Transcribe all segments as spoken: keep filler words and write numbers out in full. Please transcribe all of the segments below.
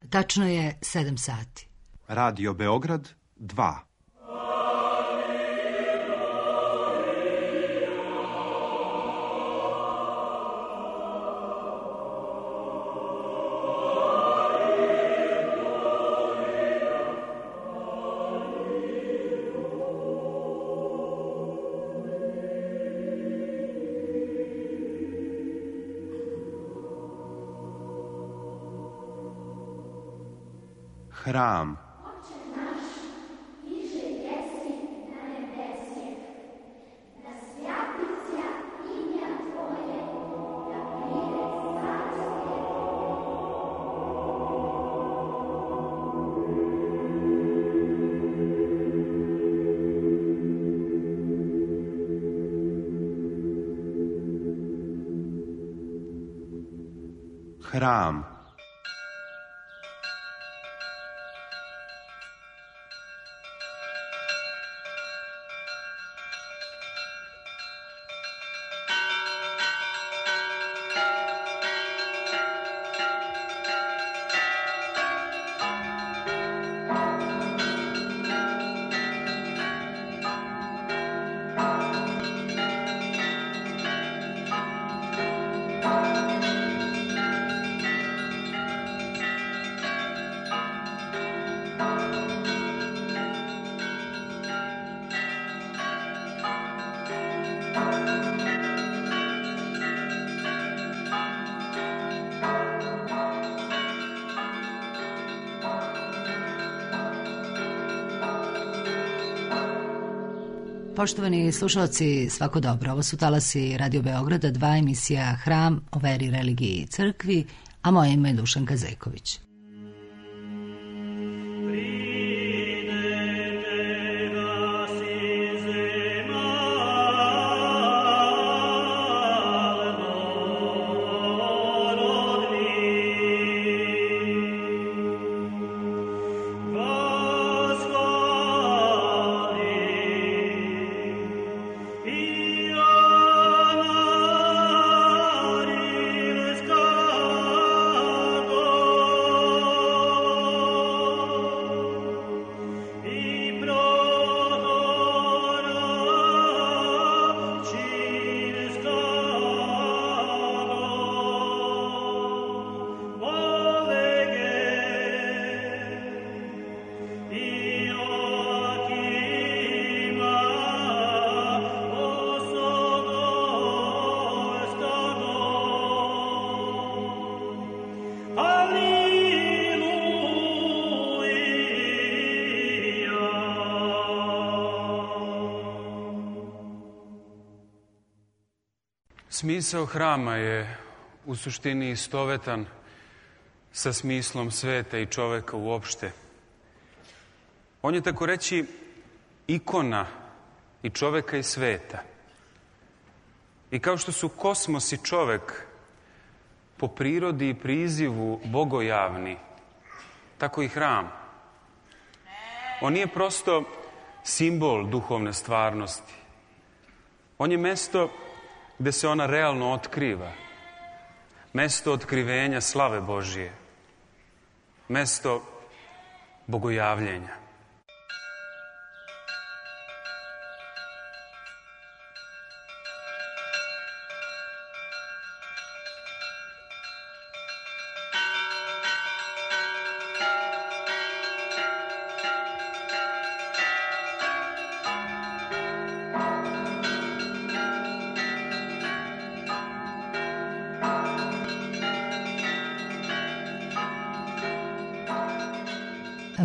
Tačno je sedam sati. Radio Beograd dva. Hram. Hram. Poštovani slušalci, svako dobro. Ovo su talasi Radio Beograda, dva emisija Hram o veri, religiji i crkvi, a moje ime je Dušanka Zeković. Smisao hrama je u suštini istovetan sa smislom sveta i čoveka uopšte. On je tako reći ikona i čoveka i sveta. I kao što su kosmos i čovek po prirodi i prizivu bogojavni, tako i hram. On nije prosto simbol duhovne stvarnosti. On je mesto gde se ona realno otkriva. Mesto otkrivenja slave Božije. Mesto bogojavljenja.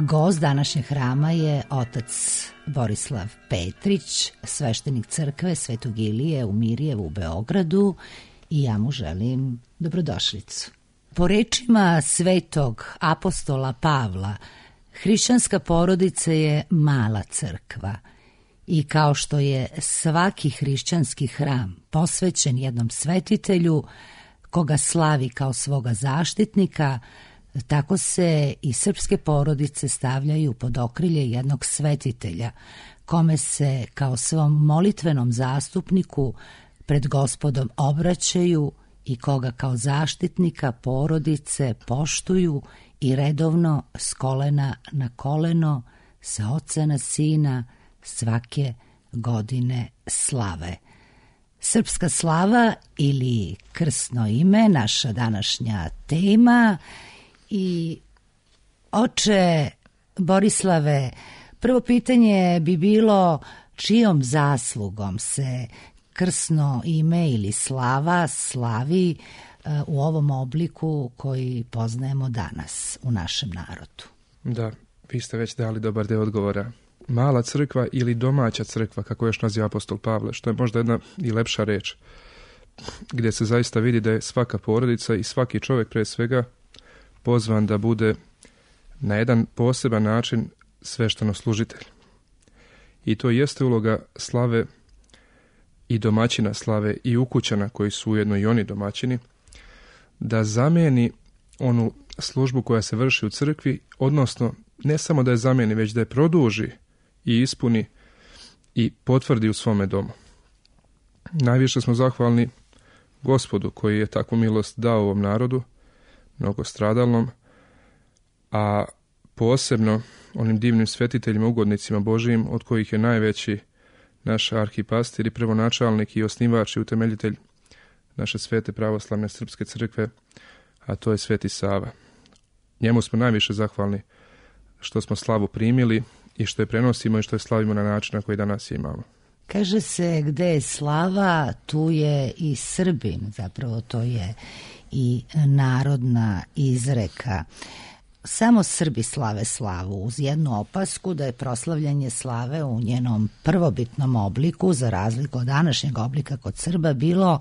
Gost današnjeg hrama je otac Borislav Petrić, sveštenik crkve Svetog Ilije u Mirjevu u Beogradu, i ja mu želim dobrodošlicu. Po rečima svetog apostola Pavla, hrišćanska porodica je mala crkva i kao što je svaki hrišćanski hram posvećen jednom svetitelju koga slavi kao svoga zaštitnika, tako se i srpske porodice stavljaju pod okrilje jednog svetitelja, kome se kao svom molitvenom zastupniku pred Gospodom obraćaju i koga kao zaštitnika porodice poštuju i redovno s kolena na koleno, sa oca na sina, svake godine slave. Srpska slava ili krsno ime, naša današnja tema. I oče Borislave, prvo pitanje bi bilo čijom zaslugom se krsno ime ili slava slavi u ovom obliku koji poznajemo danas u našem narodu? Da, vi ste već dali dobar deo odgovora. Mala crkva ili domaća crkva, kako još naziva apostol Pavle, što je možda jedna i lepša reč, gdje se zaista vidi da je svaka porodica i svaki čovjek pre svega pozvan da bude na jedan poseban način sveštenoslужitelj. I to jeste uloga slave i domaćina slave i ukućana koji su ujedno i oni domaćini, da zameni onu službu koja se vrši u crkvi, odnosno ne samo da je zameni, već da je produži i ispuni i potvrdi u svome domu. Najviše smo zahvalni Gospodu koji je takvu milost dao ovom narodu, mnogo stradalnom, a posebno onim divnim svetiteljima, ugodnicima Božijim, od kojih je najveći naš arhipastir i prvonačalnik i osnivač i utemeljitelj naše svete pravoslavne srpske crkve, a to je Sveti Sava. Njemu smo najviše zahvalni što smo slavu primili i što je prenosimo i što je slavimo na način na koji danas je imamo. Kaže se gde je slava, tu je i Srbin, zapravo to je i narodna izreka. Samo Srbi slave slavu, uz jednu opasku da je proslavljanje slave u njenom prvobitnom obliku, za razliku od današnjeg oblika kod Srba, bilo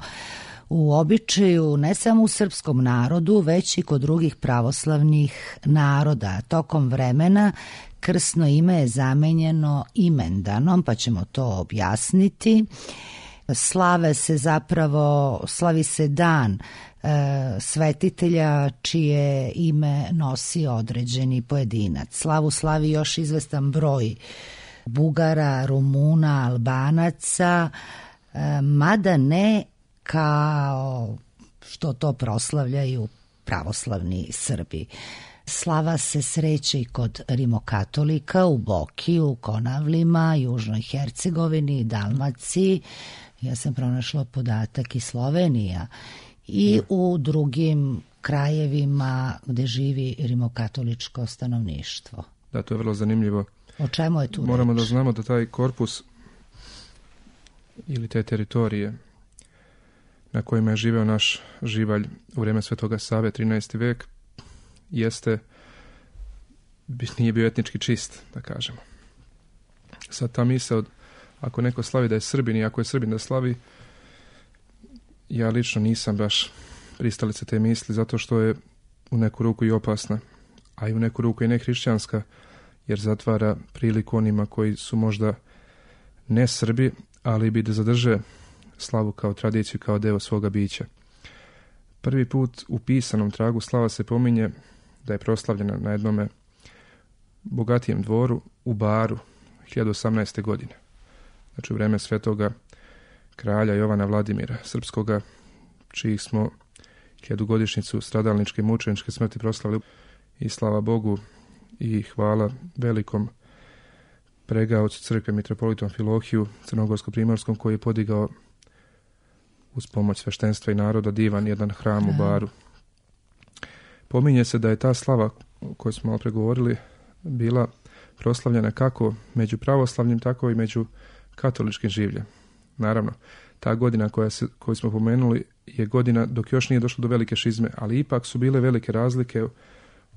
u običaju ne samo u srpskom narodu, već i kod drugih pravoslavnih naroda. Tokom vremena krsno ime je zamenjeno imendanom, pa ćemo to objasniti. Slave se zapravo, slavi se dan e, svetitelja čije ime nosi određeni pojedinac. Slavu slavi još izvestan broj Bugara, Rumuna, Albanaca, e, mada ne kao što to proslavljaju pravoslavni Srbi. Slava se sreće i kod rimokatolika u Bokiju, Konavlima, Južnoj Hercegovini, Dalmaciji. Ja sam pronašla podatak i Slovenija i u drugim krajevima gde živi rimokatoličko stanovništvo. Da, to je vrlo zanimljivo. O čemu je tu Moramo reč? Da znamo da taj korpus ili te teritorije na kojima je živeo naš živalj u vrijeme Svetoga Save, trinaesti vek, jeste, nije bio etnički čist, da kažemo. Sad ta misao, ako neko slavi da je Srbin i ako je Srbin da slavi, ja lično nisam baš pristalica te misli, zato što je u neku ruku i opasna, a i u neku ruku i nehrišćanska, jer zatvara priliku onima koji su možda ne Srbi, ali bi da zadrže slavu kao tradiciju, kao deo svoga bića. Prvi put u pisanom tragu slava se pominje da je proslavljena na jednome bogatijem dvoru u Baru hiljadu osamnaeste. godine. Znači u vreme svetoga kralja Jovana Vladimira Srpskoga, čijih smo hiljadugodišnjicu stradalničke mučeničke smrti proslavili. I slava Bogu i hvala velikom pregaocu crkve mitropolitu Amfilohiju crnogorsko-primorskom, koji je podigao uz pomoć sveštenstva i naroda divan jedan hram u Baru. Pominje se da je ta slava koju smo malo pregovorili bila proslavljena kako među pravoslavnim, tako i među katoličkim življem. Naravno, ta godina koja se, koju smo pomenuli je godina dok još nije došlo do velike šizme, ali ipak su bile velike razlike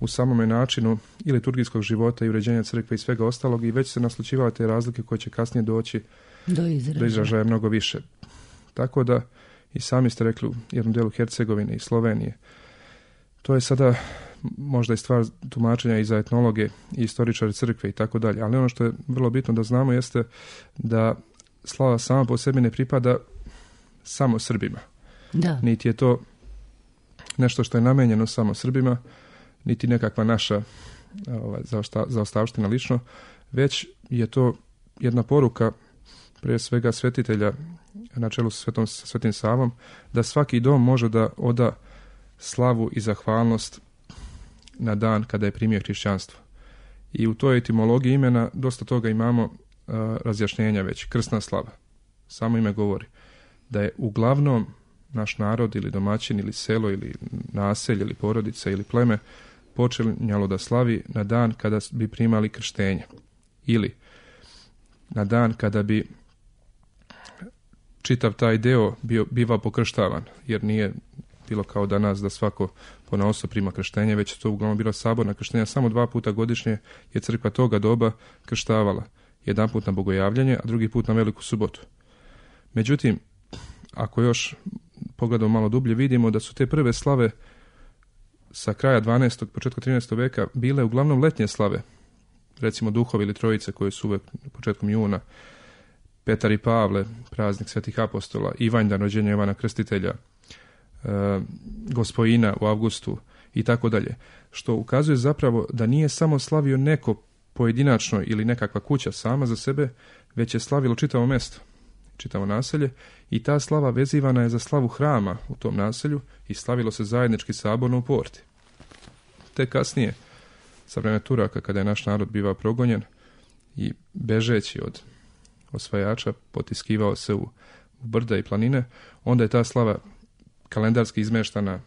u samome načinu i liturgijskog života i uređenja crkve i svega ostalog, i već se naslućivale te razlike koje će kasnije doći do izražaja, do izražaja mnogo više. Tako da i sami ste rekli u jednom delu Hercegovine i Slovenije. To je sada možda i stvar tumačenja i za etnologe i istoričare crkve i tako dalje. Ali ono što je vrlo bitno da znamo jeste da slava sama po sebi ne pripada samo Srbima. Da. Niti je to nešto što je namenjeno samo Srbima, niti nekakva naša ovaj, zaostavština lično, već je to jedna poruka prije svega svetitelja na čelu sa svetom, Svetim Savom, da svaki dom može da oda slavu i zahvalnost na dan kada je primio hrišćanstvo. I u toj etimologiji imena dosta toga imamo a, razjašnjenja već. Krsna slava. Samo ime govori da je uglavnom naš narod ili domaćin ili selo ili naselje ili porodica ili pleme počinjalo da slavi na dan kada bi primali krštenje ili na dan kada bi čitav taj deo bio, bivao pokrštavan, jer nije bilo kao danas da svako ponaosob prima krštenje, već to uglavnom bilo saborna krštenja. Samo dva puta godišnje je crkva toga doba krštavala. Jedan put na bogojavljanje, a drugi put na veliku subotu. Međutim, ako još pogledamo malo dublje, vidimo da su te prve slave sa kraja dvanaestog. početka trinaestog veka bile uglavnom letnje slave. Recimo duhovi ili trojice koje su uvek početkom juna, Petar i Pavle, praznik svetih apostola, Ivanjdan, rođenje Jovana Krstitelja, e, Gospojina u avgustu i tako dalje. Što ukazuje zapravo da nije samo slavio neko pojedinačno ili nekakva kuća sama za sebe, već je slavilo čitavo mesto, čitavo naselje, i ta slava vezivana je za slavu hrama u tom naselju i slavilo se zajednički saborno u porti. Te kasnije, sa vremena Turaka, kada je naš narod bivao progonjen i bežeći od osvajača potiskivao se u, u brda i planine, onda je ta slava kalendarski izmeštana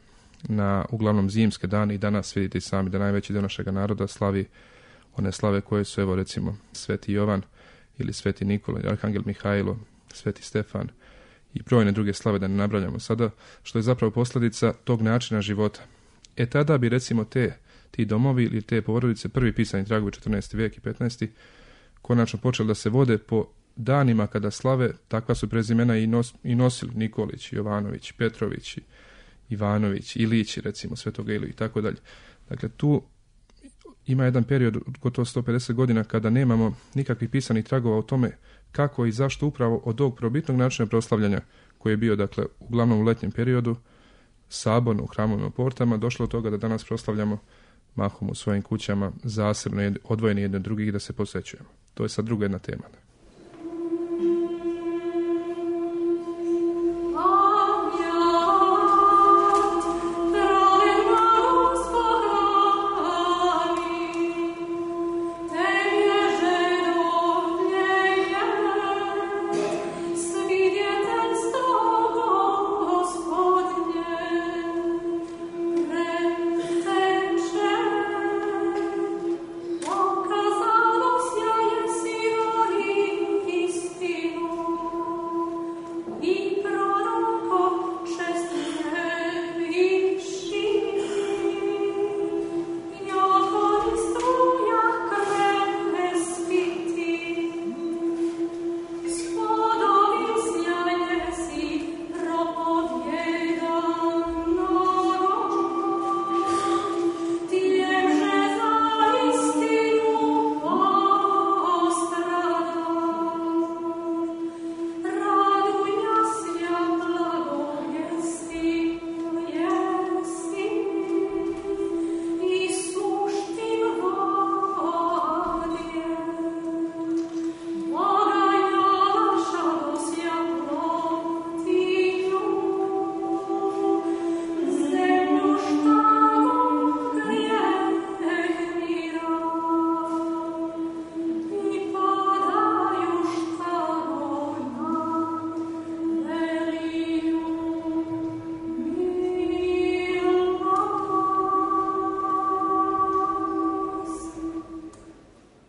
na uglavnom zimske dane i danas vidite i sami da najveći dio našega naroda slavi one slave koje su, evo recimo, Sveti Jovan ili Sveti Nikola, Arhangel Mihajlo, Sveti Stefan i brojne druge slave, da ne nabrajamo sada, što je zapravo posljedica tog načina života. E tada bi recimo te, ti domovi ili te porodice, prvi pisani tragovi četrnaesti vijek i petnaesti konačno počeli da se vode po danima kada slave, takva su prezimena i, nos, i nosili Nikolić, Jovanović, Petrović, Ivanović, Ilić, recimo Svetoga Iliju i tako dalje. Dakle, tu ima jedan period od gotovo sto pedeset godina kada nemamo nikakvih pisanih tragova o tome kako i zašto upravo od ovog probitnog načina proslavljanja koji je bio, dakle, uglavnom u letnjem periodu, saborno u hramovima portama, došlo od toga da danas proslavljamo mahom u svojim kućama, zasebno odvojeni jedni od drugih, da se posvećujemo. To je sad druga jedna tema.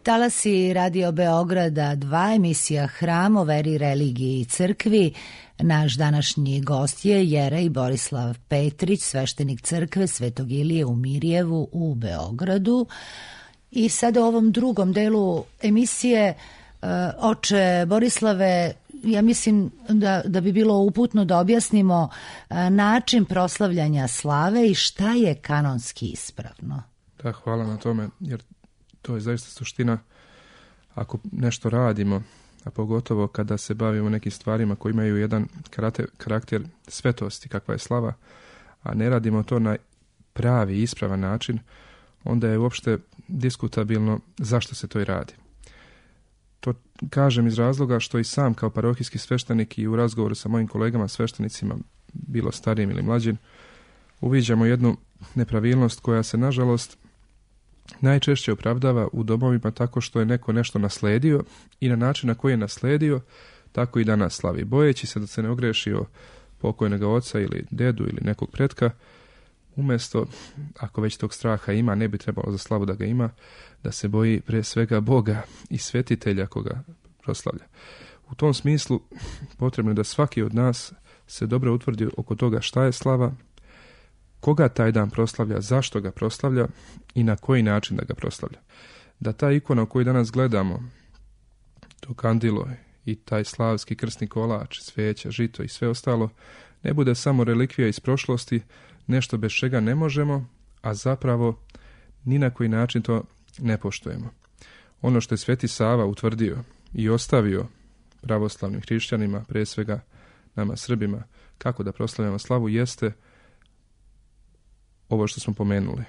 Talasi Radio Beograda dva, emisija Hram o veri, religiji i crkvi. Naš današnji gost je Jerej Borislav Petrić, sveštenik crkve Svetog Ilije u Mirjevu u Beogradu. I sada u ovom drugom delu emisije, oče Borislave, ja mislim da, da bi bilo uputno da objasnimo način proslavljanja slave i šta je kanonski ispravno. Da, hvala na tome, jer to je zaista suština. Ako nešto radimo, a pogotovo kada se bavimo nekim stvarima koji imaju jedan karakter, karakter svetosti, kakva je slava, a ne radimo to na pravi, ispravan način, onda je uopšte diskutabilno zašto se to i radi. To kažem iz razloga što i sam kao parohijski sveštenik i u razgovoru sa mojim kolegama sveštenicima, bilo starijim ili mlađim, uviđamo jednu nepravilnost koja se nažalost najčešće opravdava u domovima tako što je neko nešto nasledio i na način na koji je nasledio, tako i danas slavi. Bojeći se da se ne ogreši o pokojnog oca ili dedu ili nekog pretka, umjesto, ako već tog straha ima, ne bi trebalo za slavu da ga ima, da se boji pre svega Boga i svetitelja koga proslavlja. U tom smislu potrebno je da svaki od nas se dobro utvrdi oko toga šta je slava, koga taj dan proslavlja, zašto ga proslavlja i na koji način da ga proslavlja. Da ta ikona koju danas gledamo, to kandilo i taj slavski krsni kolač, sveća, žito i sve ostalo, ne bude samo relikvija iz prošlosti, nešto bez čega ne možemo, a zapravo ni na koji način to ne poštujemo. Ono što je Sveti Sava utvrdio i ostavio pravoslavnim hrišćanima, pre svega nama Srbima, kako da proslavljamo slavu, jeste ovo što smo pomenuli.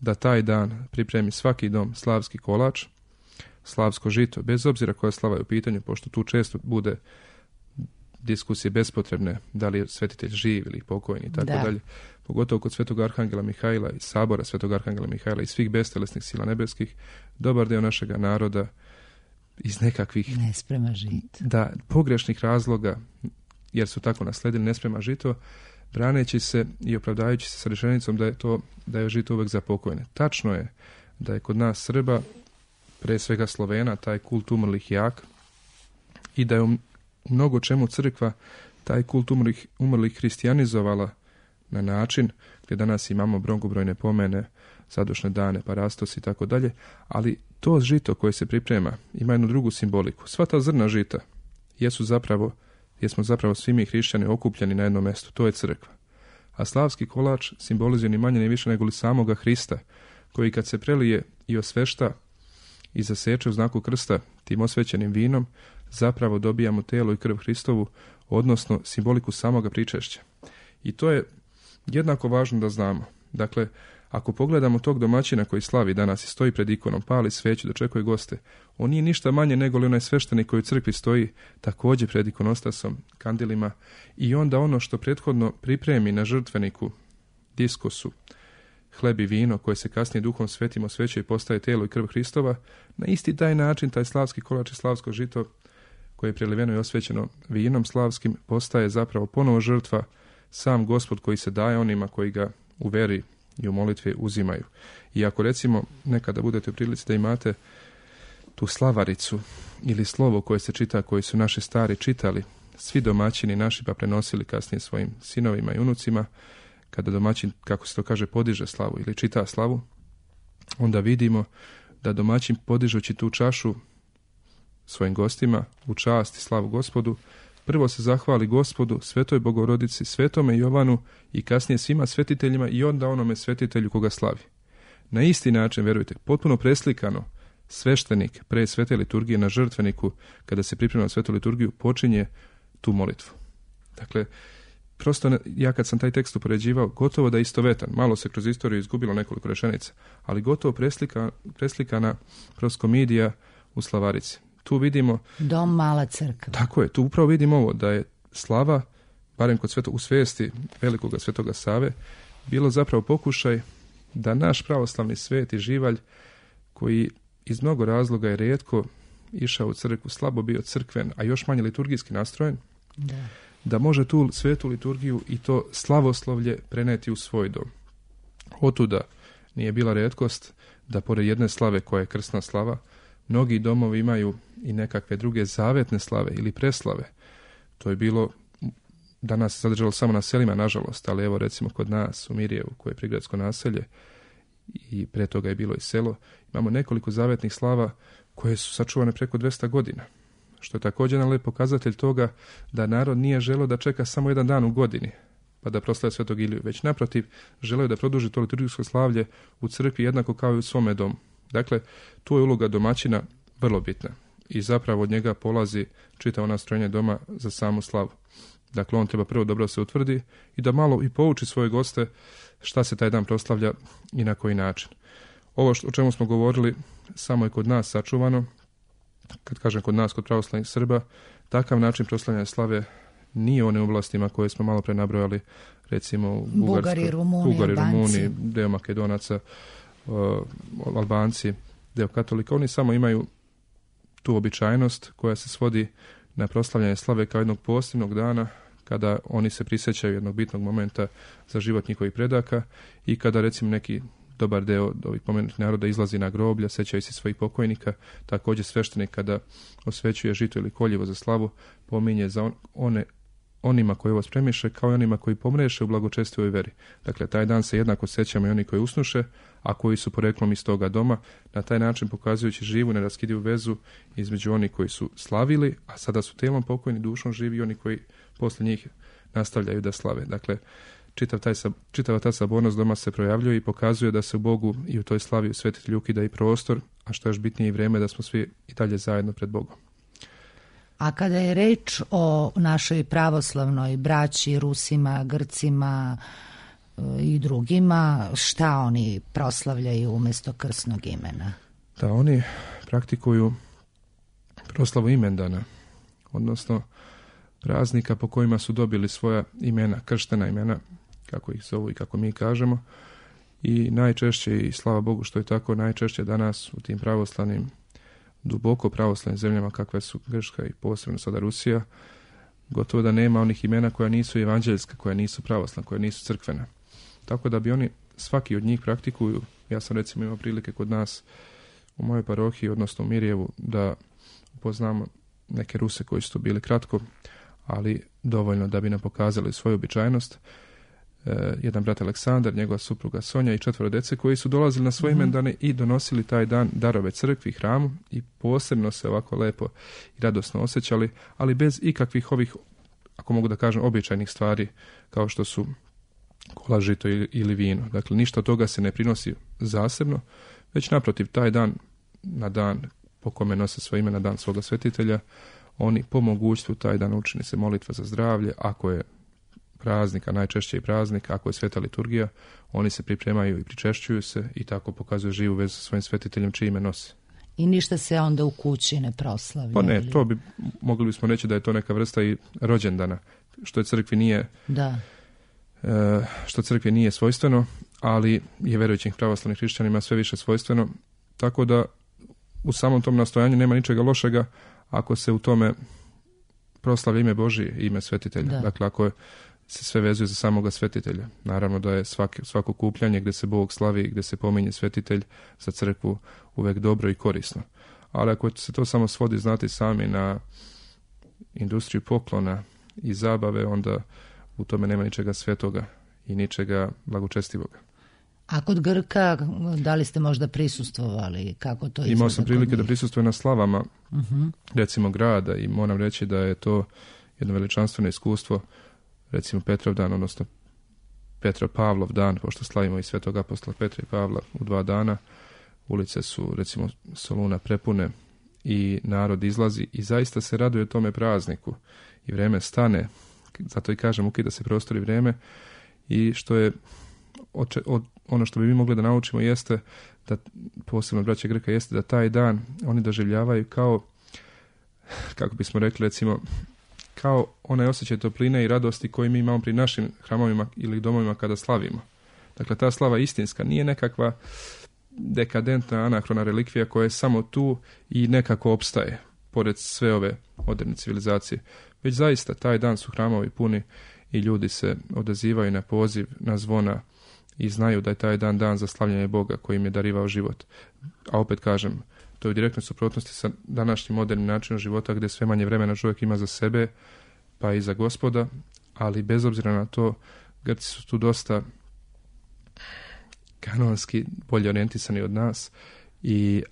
Da taj dan pripremi svaki dom slavski kolač, slavsko žito, bez obzira koja slava je u pitanju, pošto tu često bude diskusije bespotrebne, da li je svetitelj živ ili pokojni i tako dalje. Pogotovo kod Svetog Arhangela Mihajla i sabora Svetog Arhangela Mihajla i svih bestelesnih sila nebeskih, dobar deo našega naroda iz nekakvih ne sprema žito. Da, pogrešnih razloga, jer su tako nasledili, ne sprema žito, braneći se i opravdajući se sa rečenicom da je to da je žito uvek za pokojne. Tačno je da je kod nas Srba, pre svega Slovena, taj kult umrlih jak i da je u mnogo čemu crkva taj kult umrlih, umrlih hristijanizovala na način gdje danas imamo mnogobrojne pomene, zadošne dane, parastos i tako dalje, ali to žito koje se priprema ima jednu drugu simboliku. Sva ta zrna žita jesu zapravo, jesmo zapravo svi mi hrišćani okupljeni na jednom mjestu, to je crkva. A slavski kolač simbolizuje ni manje ni više nego li samoga Hrista, koji kad se prelije i osvešta i zaseče u znaku krsta tim osvećenim vinom, zapravo dobijamo telo i krv Hristovu, odnosno simboliku samoga pričešća. I to je jednako važno da znamo. Dakle, ako pogledamo tog domaćina koji slavi danas i stoji pred ikonom, pali sveću, dočekuje goste, on nije ništa manje nego li onaj sveštenik koji u crkvi stoji također pred ikonostasom, kandilima, i onda ono što prethodno pripremi na žrtveniku, diskosu, hleb i vino koje se kasnije Duhom Svetim osvećuje i postaje telo i krv Hristova, na isti taj način taj slavski kolač i slavsko žito koje je preliveno i osvećeno vinom slavskim postaje zapravo ponovo žrtva, sam Gospod koji se daje onima koji ga u veri i u molitvi uzimaju. I ako recimo nekada budete u prilici da imate tu slavaricu ili slovo koje se čita, koji su naši stari čitali, svi domaćini naši pa prenosili kasnije svojim sinovima i unucima, kada domaćin, kako se to kaže, podiže slavu ili čita slavu, onda vidimo da domaćin podižući tu čašu svojim gostima u čast i slavu Gospodu, prvo se zahvali Gospodu, Svetoj Bogorodici, Svetome Jovanu i kasnije svima svetiteljima i onda onome svetitelju koga slavi. Na isti način, verujte, potpuno preslikano, sveštenik pre svete liturgije na žrtveniku, kada se priprema na svetu liturgiju, počinje tu molitvu. Dakle, prosto ja kad sam taj tekst upoređivao, gotovo da je istovetan, malo se kroz istoriju izgubilo nekoliko rečenica, ali gotovo preslika, preslikana proskomidija u slavarici. Tu vidimo... Dom mala crkva. Tako je, tu upravo vidimo ovo, da je slava, barem kod sveto, u svijesti velikoga svetoga Save, bilo zapravo pokušaj da naš pravoslavni svet i živalj, koji iz mnogo razloga je rijetko išao u crkvu, slabo bio crkven, a još manje liturgijski nastrojen, da, da može tu svetu liturgiju i to slavoslovlje preneti u svoj dom. Otuda nije bila rijetkost da pored jedne slave koja je krsna slava, mnogi domovi imaju i nekakve druge zavetne slave ili preslave. To je bilo, danas se zadržalo samo na selima, nažalost, ali evo recimo kod nas u Mirjevu, koje je prigradsko naselje, i pre toga je bilo i selo, imamo nekoliko zavetnih slava koje su sačuvane preko dvesta godina. Što je također jedan lep pokazatelj toga da narod nije želeo da čeka samo jedan dan u godini, pa da proslavlja Svetog Iliju, već naprotiv želeo da produži to liturgijsko slavlje u crkvi jednako kao i u svome domu. Dakle, tu je uloga domaćina vrlo bitna i zapravo od njega polazi čitavo nastrojenje doma za samu slavu. Dakle, on treba prvo dobro se utvrdi i da malo i pouči svoje goste šta se taj dan proslavlja i na koji način. Ovo što, o čemu smo govorili samo je kod nas sačuvano. Kad kažem kod nas, kod pravoslavnih Srba, takav način proslavljanja slave nije u onim oblastima koje smo malo pre nabrojali, recimo u Bugari, Rumuni, Bugari, Rumuni, deo Makedonaca, uh, Albanci, deo katolika, oni samo imaju tu običajnost koja se svodi na proslavljanje slave kao jednog posebnog dana kada oni se prisjećaju jednog bitnog momenta za život njihovih predaka i kada recimo neki dobar deo ovih pomenutih naroda izlazi na groblja, sećaju se svojih pokojnika, također sveštenik kada osvećuje žito ili koljevo za slavu, pominje za on, one onima koji ovo spremiše kao i onima koji pomreše u blagočestivoj veri. Dakle, taj dan se jednako sećamo i oni koji usnuše, a koji su poreklom iz toga doma, na taj način pokazujući živu, neraskidivu vezu između oni koji su slavili, a sada su telom pokojni, dušom živi i oni koji posle njih nastavljaju da slave. Dakle, čitav taj, čitava ta sabornost doma se projavljuje i pokazuje da se u Bogu i u toj slavi u svetitelju ukida i prostor, a što je još bitnije i vreme da smo svi i dalje zajedno pred Bogom. A kada je reč o našoj pravoslavnoj braći, Rusima, Grcima i drugima, šta oni proslavljaju umjesto krsnog imena? Da, oni praktikuju proslavu imendana, odnosno praznika po kojima su dobili svoja imena, krštena imena, kako ih zovu i kako mi kažemo. I najčešće, i slava Bogu što je tako, najčešće danas u tim pravoslavnim, duboko pravoslavnim zemljama kakve su Grčka i posebno sada Rusija, gotovo da nema onih imena koja nisu evanđeljska, koja nisu pravoslavna, koja nisu crkvena. Tako da bi oni, svaki od njih praktikuju, ja sam recimo imao prilike kod nas u mojoj parohiji, odnosno u Mirjevu, da upoznamo neke Ruse koji su to bili kratko, ali dovoljno da bi nam pokazali svoju običajnost. E, jedan brat Aleksandar, njegova supruga Sonja i četvoro dece koji su dolazili na svoje mm-hmm. imendane i donosili taj dan darove crkvi, hramu i posebno se ovako lepo i radosno osjećali, ali bez ikakvih ovih, ako mogu da kažem, običajnih stvari kao što su kola, žito ili, ili vino. Dakle, ništa od toga se ne prinosi zasebno, već naprotiv taj dan, na dan po kome nose svoje ime, na dan svoga svetitelja, oni po mogućstvu taj dan učini se molitva za zdravlje, ako je praznik, a najčešće i praznik, ako je sveta liturgija, oni se pripremaju i pričešćuju se i tako pokazuju živu vezu sa svojim svetiteljem čije ime nose. I ništa se onda u kući ne proslavlja? Pa ne, to bi, mogli bismo reći da je to neka vrsta i rođendana, što je crkvi nije, da. E, što crkvi nije svojstveno, ali je verujućim pravoslavnim hrišćanima sve više svojstveno, tako da u samom tom nastojanju nema ničega lošega ako se u tome proslavlja ime Božije, ime svetitelja. Da. Dakle, ako je, se sve vezuje za samoga svetitelja. Naravno da je svaki, svako kupljanje gdje se Bog slavi, gdje se pominje svetitelj za crkvu uvek dobro i korisno. Ali ako se to samo svodi, znati sami, na industriju poklona i zabave, onda u tome nema ničega svetoga i ničega blagočestivoga. A kod Grka, da li ste možda prisustvovali? Kako to izgleda? Imao sam prilike da prisustvujem na slavama, uh-huh. recimo grada, i moram reći da je to jedno veličanstveno iskustvo, recimo Petrovdan, odnosno Petropavlov dan, pošto slavimo i svetog apostola Petra i Pavla u dva dana. Ulice su, recimo, Soluna prepune i narod izlazi i zaista se raduje tome prazniku i vreme stane, zato i kažem, ukida se prostor i vreme, i što je od, od, ono što bi mi mogli da naučimo jeste da, posebno braće Grka, jeste da taj dan oni doživljavaju kao, kako bismo rekli, recimo, kao onaj osjećaj topline i radosti koji mi imamo pri našim hramovima ili domovima kada slavimo. Dakle, ta slava istinska nije nekakva dekadentna, anahrona relikvija koja je samo tu i nekako opstaje pored sve ove moderne civilizacije. Već zaista taj dan su hramovi puni i ljudi se odazivaju na poziv, na zvona i znaju da je taj dan dan za slavljanje Boga koji im je darivao život. A opet kažem, to je u direktnoj suprotnosti sa današnjim modernim načinom života gdje sve manje vremena čovjek ima za sebe pa i za Gospoda, ali bez obzira na to Grci su tu dosta kanonski bolje orijentisani od nas i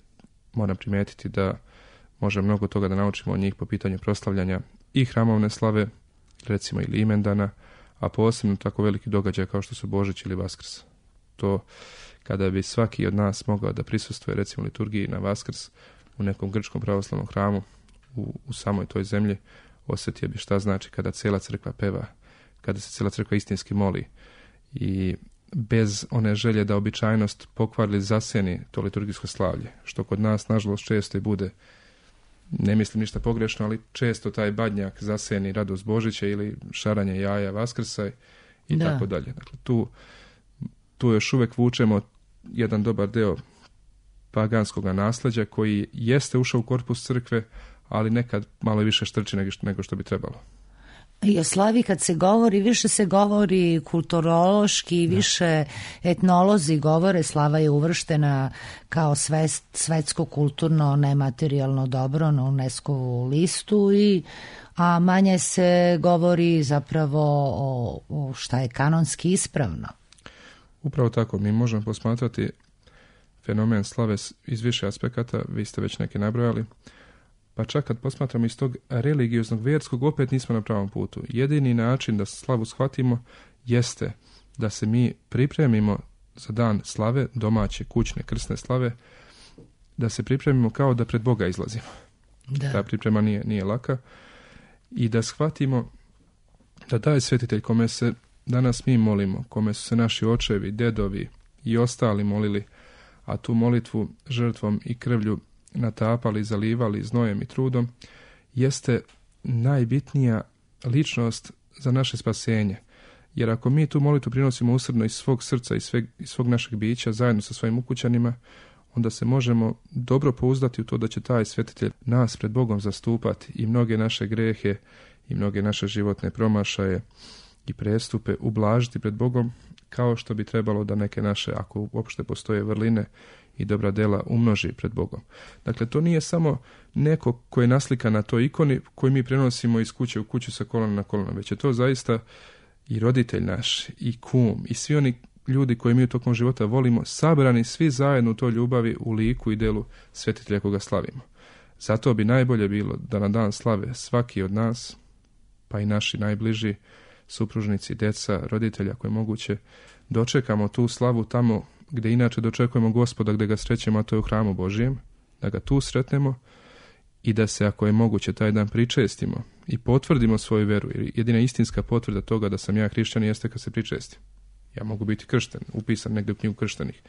moram primijetiti da može mnogo toga da naučimo od njih po pitanju proslavljanja i hramovne slave, recimo ili imendana, a posebno tako veliki događaj kao što su Božić ili Vaskrs. To kada bi svaki od nas mogao da prisustvuje recimo liturgiji na Vaskrs u nekom grčkom pravoslavnom hramu u, u samoj toj zemlji, osjetio bi šta znači kada cijela crkva peva, kada se cijela crkva istinski moli i bez one želje da običajnost pokvarili zasjeni to liturgijsko slavlje, što kod nas nažalost često i bude, ne mislim ništa pogrešno, ali često taj badnjak zasjeni radost Božića ili šaranje jaja Vaskrsa i da. Tako dalje. Dakle, tu, tu još uvijek vučemo jedan dobar deo paganskog nasljeđa koji jeste ušao u korpus crkve, ali nekad malo više štrči nego što bi trebalo. I o slavi kad se govori, više se govori kulturološki, više etnolozi govore, slava je uvrštena kao svest, svetsko kulturno nematerijalno dobro na UNESCO-vu listu, i, a manje se govori zapravo o, o šta je kanonski ispravno. Upravo tako, mi možemo posmatrati fenomen slave iz više aspekata, vi ste već neke nabrojali, pa čak kad posmatramo iz tog religioznog, vjerskog, opet nismo na pravom putu. Jedini način da slavu shvatimo jeste da se mi pripremimo za dan slave, domaće, kućne, krsne slave, da se pripremimo kao da pred Boga izlazimo. Da. Ta priprema nije, nije laka. I da shvatimo da taj svetitelj kome se danas mi molimo, kome su se naši očevi, dedovi i ostali molili, a tu molitvu žrtvom i krvlju natapali, zalivali znojem i trudom, jeste najbitnija ličnost za naše spasenje. Jer ako mi tu molitvu prinosimo usrdno iz svog srca i sveg, iz svog našeg bića zajedno sa svojim ukućanima, onda se možemo dobro pouzdati u to da će taj svetitelj nas pred Bogom zastupati i mnoge naše grehe i mnoge naše životne promašaje i prestupe ublažiti pred Bogom, kao što bi trebalo da neke naše, ako uopšte postoje vrline i dobra dela, umnoži pred Bogom. Dakle, to nije samo neko koji je naslika na toj ikoni koju mi prenosimo iz kuće u kuću sa kolona na kolona, već je to zaista i roditelj naš, i kum, i svi oni ljudi koji mi u tokom života volimo, sabrani svi zajedno u toj ljubavi, u liku i delu svetitelja koga slavimo. Zato bi najbolje bilo da na dan slave svaki od nas, pa i naši najbliži supružnici, deca, roditelja koje je moguće, dočekamo tu slavu tamo gdje inače dočekujemo Gospoda, gdje ga srećemo, a to je u hramu Božijem, da ga tu sretnemo i da se, ako je moguće, taj dan pričestimo i potvrdimo svoju veru. Jer jedina istinska potvrda toga da sam ja hrišćanin jeste kad se pričestim. Ja mogu biti kršten, upisan negdje u knjigu krštenih,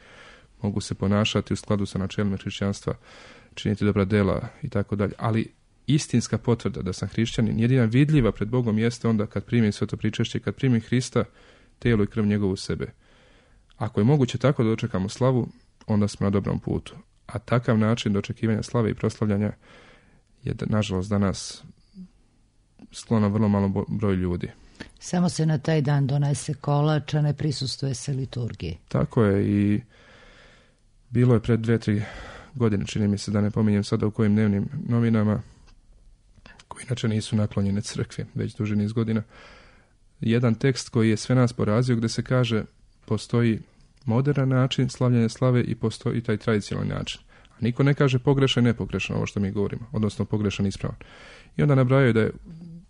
mogu se ponašati u skladu sa načelima hrišćanstva, činiti dobra dela i tako dalje, ali istinska potvrda da sam hrišćanin, jedina vidljiva pred Bogom, jeste onda kad primim sveto pričešće, kad primim Hrista, tijelo i krv njegovu sebe. Ako je moguće tako da dočekamo slavu, onda smo na dobrom putu. A takav način dočekivanja slave i proslavljanja je, nažalost, danas sklono vrlo malo broj ljudi. Samo se na taj dan donese kolač, a ne prisustuje se liturgiji. Tako je, i bilo je pred dve, tri godine, čini mi se, da ne pominjem sada u kojim dnevnim novinama, koji inače nisu naklonjene crkvi već duži niz godina, jedan tekst koji je sve nas porazio, gdje se kaže postoji moderan način slavljanja slave i postoji taj tradicionalni način. A niko ne kaže pogrešan i nepogrešan ovo što mi govorimo, odnosno pogrešan i ispravan. I onda nabrajaju da je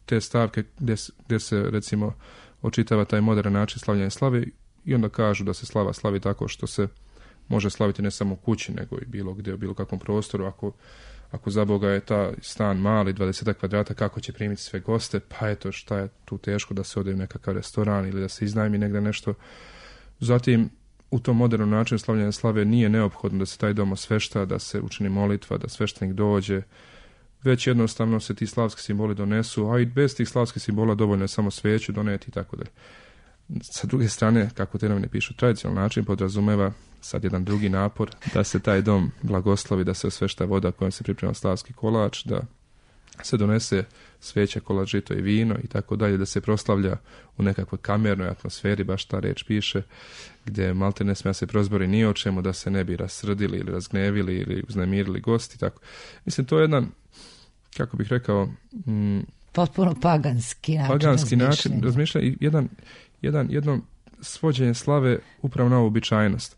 te stavke gdje, gdje se, recimo, očitava taj modern način slavljanja slave, i onda kažu da se slava slavi tako što se može slaviti ne samo u kući, nego i bilo gdje, u bilo kakvom prostoru. Ako, ako za Boga je ta stan mali, dvadeset kvadrata, kako će primiti sve goste, pa eto, šta je tu teško da se ode u nekakav restoran ili da se iznajmi negdje nešto. Zatim, u tom modernom načinu slavljanja slave nije neophodno da se taj dom osvešta, da se učini molitva, da sveštenik dođe, već jednostavno se ti slavski simboli donesu, a i bez tih slavskih simbola dovoljno je samo sveću doneti i tako dalje. Sa druge strane, kako te novine pišu, tradicionalni način podrazumeva sad jedan drugi napor, da se taj dom blagoslovi, da se osvešta voda kojom se priprema slavski kolač, da se donese sveća, kolač, žito i vino i tako dalje, da se proslavlja u nekakvoj kamernoj atmosferi, baš ta reč piše, gdje malte ne smije se prozbori ni o čemu, da se ne bi rasrdili ili razgnevili ili uznemirili gosti. Tako. Mislim, to je jedan, kako bih rekao, mm, potpuno paganski način paganski razmišljanja. način razmišljanja i jedan, jedan, jedno svođenje slave upravo na običajnost.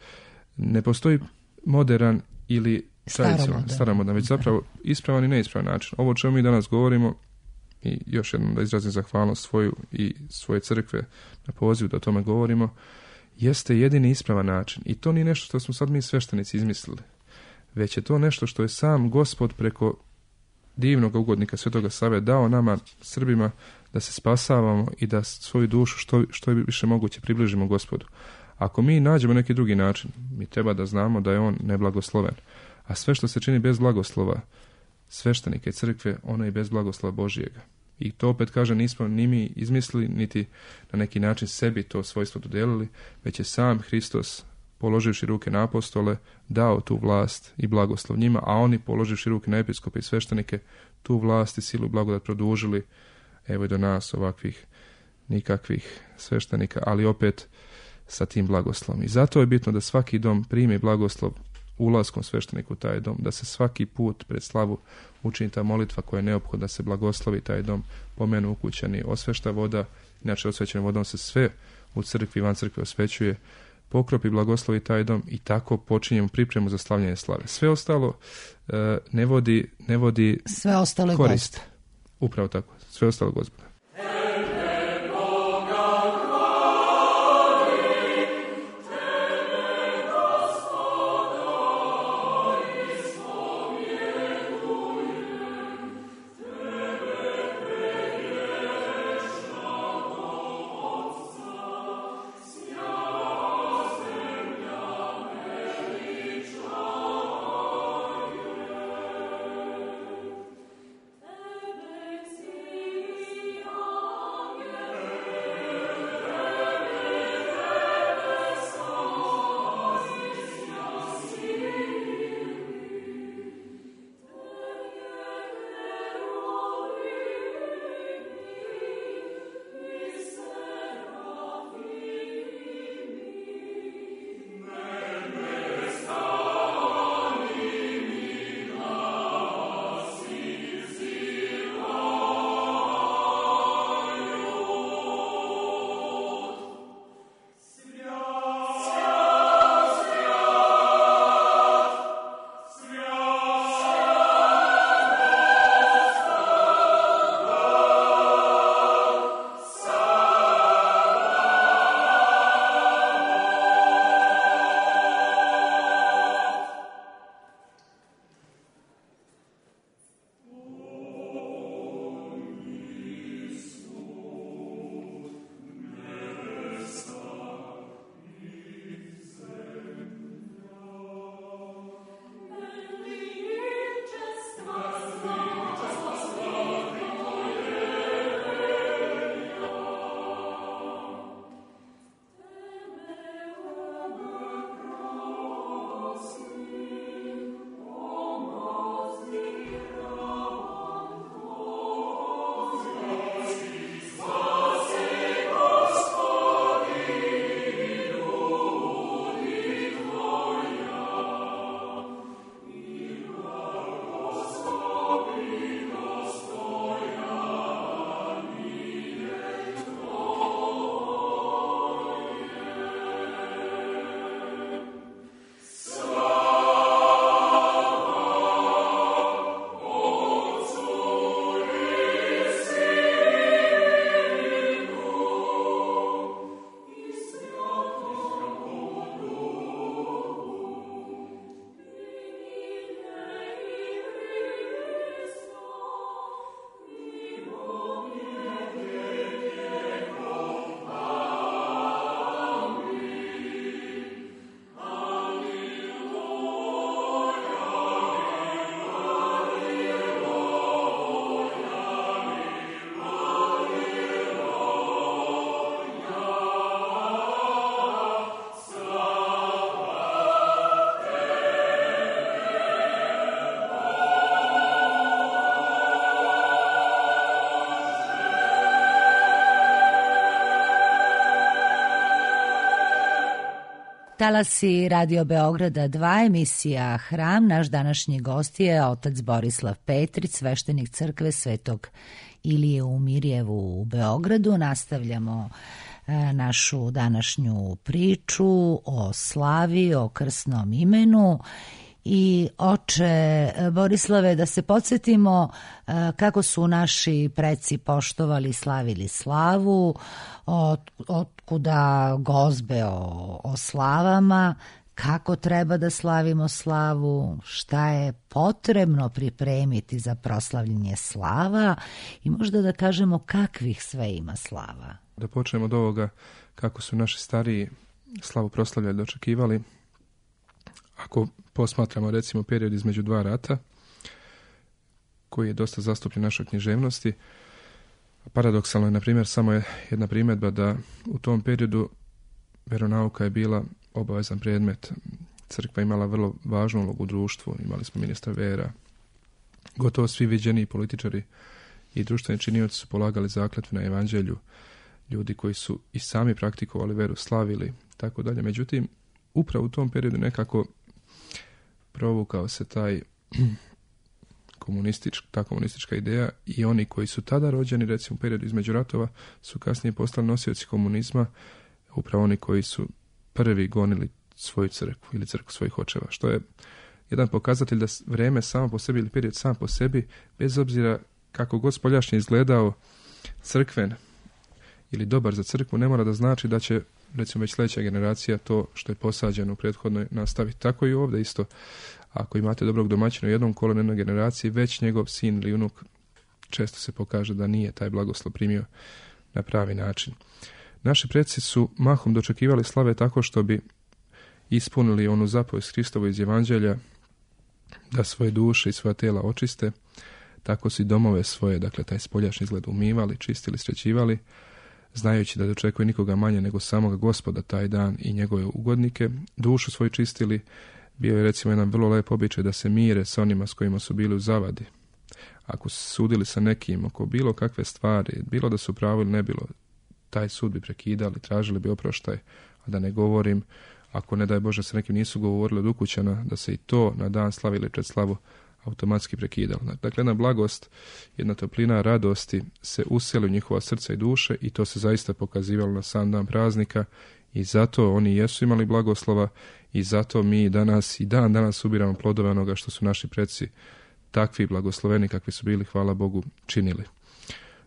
Ne postoji modern ili tradicionalan, staromodan, već zapravo ispravan i neispravan način. Ovo o čemu mi danas govorimo, i još jednom da izrazim zahvalnost svoju i svoje crkve na pozivu da o tome govorimo, jeste jedini ispravan način. I to nije nešto što smo sad mi sveštenici izmislili, već je to nešto što je sam Gospod preko divnog ugodnika Svetoga Save dao nama, Srbima, da se spasavamo i da svoju dušu što, što je više moguće približimo Gospodu. Ako mi nađemo neki drugi način, mi treba da znamo da je on neblagosloven. A sve što se čini bez blagoslova sveštenike crkve, ono je bez blagoslova Božijega. I to opet kaže, nismo ni mi izmislili, niti na neki način sebi to svojstvo dodelili, već je sam Hristos položivši ruke na apostole, dao tu vlast i blagoslov njima, a oni položivši ruke na episkope i sveštenike, tu vlast i silu i blagodat produžili, evo i do nas ovakvih nikakvih sveštenika, ali opet sa tim blagoslovom. I zato je bitno da svaki dom primi blagoslov ulaskom svešteniku u taj dom, da se svaki put pred slavu učini ta molitva koja je neophodna da se blagoslovi taj dom, pomenu ukućani, osvešta voda, inače osvećenom vodom se sve u crkvi i van crkve osvećuje, pokropi blagoslovi taj dom i tako počinjemo pripremu za slavljenje slave. Sve ostalo e, ne vodi, ne vodi sve ostalo korist. Upravo tako, sve ostalo Gospoda. Talasi Radio Beograda dva, emisija Hram. Naš današnji gost je otac Borislav Petrić, sveštenik crkve Svetog Ilije u Mirjevu u Beogradu. Nastavljamo e, našu današnju priču o slavi, o krsnom imenu. I oče Borislave, da se podsjetimo kako su naši preci poštovali, slavili slavu, od, otkuda gozbe o, o slavama, kako treba da slavimo slavu, šta je potrebno pripremiti za proslavljenje slava i možda da kažemo kakvih sve ima slava. Da počnemo od ovoga kako su naši stariji slavu proslavljali, dočekivali. Ako posmatramo recimo period između dva rata, koji je dosta zastupljen u našoj književnosti, paradoksalno je, na primjer, samo je jedna primjedba da u tom periodu veronauka je bila obavezan predmet. Crkva imala vrlo važnu ulogu u društvu, imali smo ministra vera. Gotovo svi viđeni političari i društveni činioci su polagali zakletvu na evanđelju, ljudi koji su i sami praktikovali veru, slavili, tako dalje. Međutim, upravo u tom periodu nekako provukao se taj komunistička, ta komunistička ideja i oni koji su tada rođeni, recimo u periodu između ratova, su kasnije postali nosioci komunizma, upravo oni koji su prvi gonili svoju crkvu ili crkvu svojih očeva, što je jedan pokazatelj da vreme samo po sebi ili period sam po sebi, bez obzira kako god spoljašnje izgledao crkven ili dobar za crkvu, ne mora da znači da će, recimo, već sljedeća generacija to što je posađeno u prethodnoj nastaviti. Tako i ovdje isto. Ako imate dobrog domaćina u jednom kolonu jednoj generaciji, već njegov sin ili unuk često se pokaže da nije taj blagoslov primio na pravi način. Naši preci su mahom dočekivali slave tako što bi ispunili onu zapovijest Hristovu iz Evanđelja da svoje duše i svoja tela očiste, tako su i domove svoje, dakle taj spoljašnji izgled umivali, čistili, sređivali, znajući da dočekuje nikoga manje nego samoga Gospoda taj dan i njegove ugodnike. Dušu svoju čistili, bio je recimo jedan vrlo lep običaj da se mire sa onima s kojima su bili u zavadi. Ako su sudili sa nekim oko bilo kakve stvari, bilo da su pravo ili ne bilo, taj sud bi prekidali, tražili bi oproštaj, a da ne govorim, ako ne daj Bože se nekim nisu govorili od ukućana, da se i to na dan slavili pred slavu automatski prekidalo. Dakle, jedna blagost, jedna toplina radosti se useli u njihova srca i duše i to se zaista pokazivalo na sam dan praznika i zato oni jesu imali blagoslova i zato mi danas i dan danas ubiramo plodove onoga što su naši preci takvi blagosloveni kakvi su bili, hvala Bogu, činili.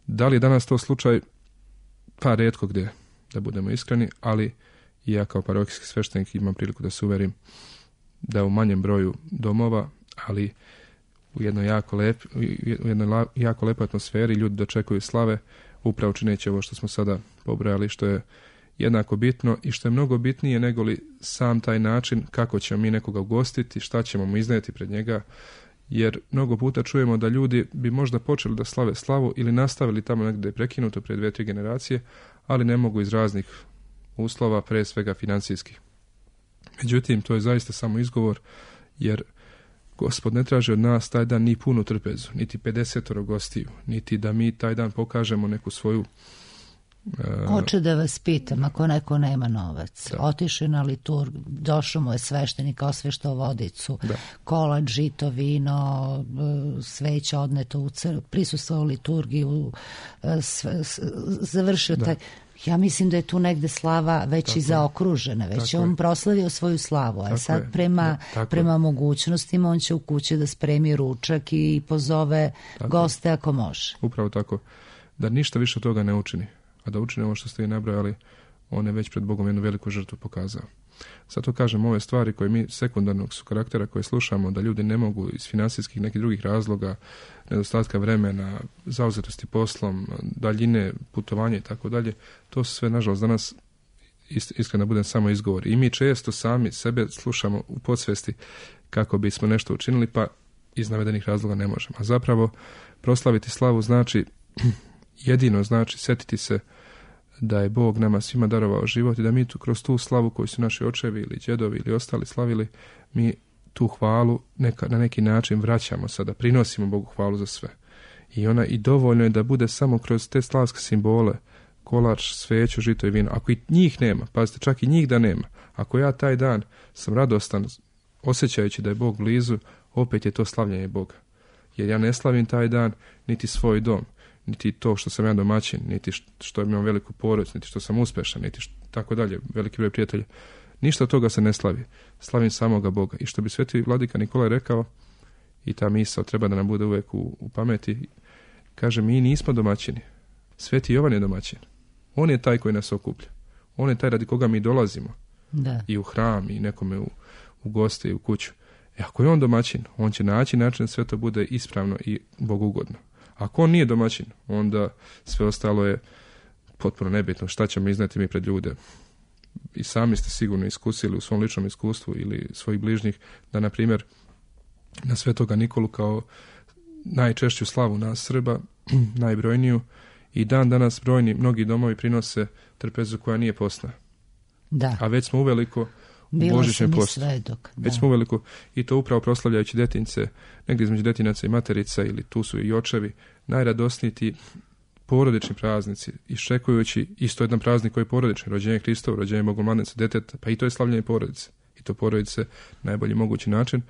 Da li je danas to slučaj? Pa rijetko gdje, da budemo iskreni, ali i ja kao parohijski sveštenik imam priliku da se uverim da u manjem broju domova, ali u jednoj jako, lep, u jednoj jako lepoj atmosferi ljudi dočekuju slave, upravo čineći ovo što smo sada pobrojali, što je jednako bitno i što je mnogo bitnije nego li sam taj način kako ćemo mi nekoga ugostiti, šta ćemo mu iznijeti pred njega, jer mnogo puta čujemo da ljudi bi možda počeli da slave slavu ili nastavili tamo negdje prekinuto pred dvije, tri generacije, ali ne mogu iz raznih uslova, pre svega financijskih. Međutim, to je zaista samo izgovor, jer Gospod ne traži od nas taj dan ni punu trpezu, niti pedesetoro gostiju, niti da mi taj dan pokažemo neku svoju... Uh... Hoće da vas pitam, ako neko nema novac, otiše na liturg, došao mu je sveštenik, osveštao vodicu, da. Kolač, žito, vino, sveća odneto u crkvu, prisustvovao liturgiju, sve, završio taj... Ja mislim da je tu negde slava već tako i zaokružena, već je on je. proslavio svoju slavu, a tako sad je. prema, prema je. mogućnostima on će u kući da spremi ručak i pozove tako goste ako može. Upravo tako, da ništa više od toga ne učini, a da učini ovo što ste i nabrojali, on je već pred Bogom jednu veliku žrtvu pokazao. Zato kažem, ove stvari koje mi sekundarnog su karaktera koje slušamo, da ljudi ne mogu iz financijskih nekih drugih razloga, nedostatka vremena, zauzetosti poslom, daljine, putovanje i tako dalje, to su sve, nažalost, danas iskreno budem samo izgovor. I mi često sami sebe slušamo u podsvesti kako bismo nešto učinili, pa iz navedenih razloga ne možemo. A zapravo, proslaviti slavu znači, jedino znači setiti se da je Bog nama svima darovao život i da mi tu, kroz tu slavu koju su naši očevi ili djedovi ili ostali slavili, mi tu hvalu neka, na neki način vraćamo sada, prinosimo Bogu hvalu za sve. I ona i dovoljno je da bude samo kroz te slavske simbole, kolač, sveću, žito i vino. Ako i njih nema, pazite, čak i njih da nema, ako ja taj dan sam radostan, osjećajući da je Bog blizu, opet je to slavljenje Boga. Jer ja ne slavim taj dan niti svoj dom, niti to što sam ja domaćin, niti što imam veliku porodicu, niti što sam uspešan, niti što, tako dalje, veliki broj prijatelja. Ništa od toga se ne slavi. Slavim samoga Boga. I što bi sveti vladika Nikolaj rekao, i ta misao treba da nam bude uvijek u, u pameti, kaže, mi nismo domaćini. Sveti Jovan je domaćin. On je taj koji nas okuplja. On je taj radi koga mi dolazimo. Da. I u hram, i nekome u, u goste, i u kuću. E ako je on domaćin, on će naći način da sve to bude ispravno i bogugodno. Ako on nije domaćin, onda sve ostalo je potpuno nebitno. Šta ćemo izneti mi pred ljude? I sami ste sigurno iskusili u svom ličnom iskustvu ili svojih bližnjih da, na primjer, na Svetoga Nikolu kao najčešću slavu nas Srba, najbrojniju, i dan danas brojni, mnogi domovi prinose trpezu koja nije postna. Da. A već smo uveliko Bila božićni sam i post. svedok. Već Da. smo uveliko, i to upravo proslavljajući detinjce, negdje između detinaca i materica, ili tu su i očevi, najradosniji ti porodični praznici, iščekujući isto jedan praznik koji je porodični, rođenje Hristovo, rođenje Bogomladenca djeteta, pa i to je slavljenje porodice. I to porodice na najbolji mogući način.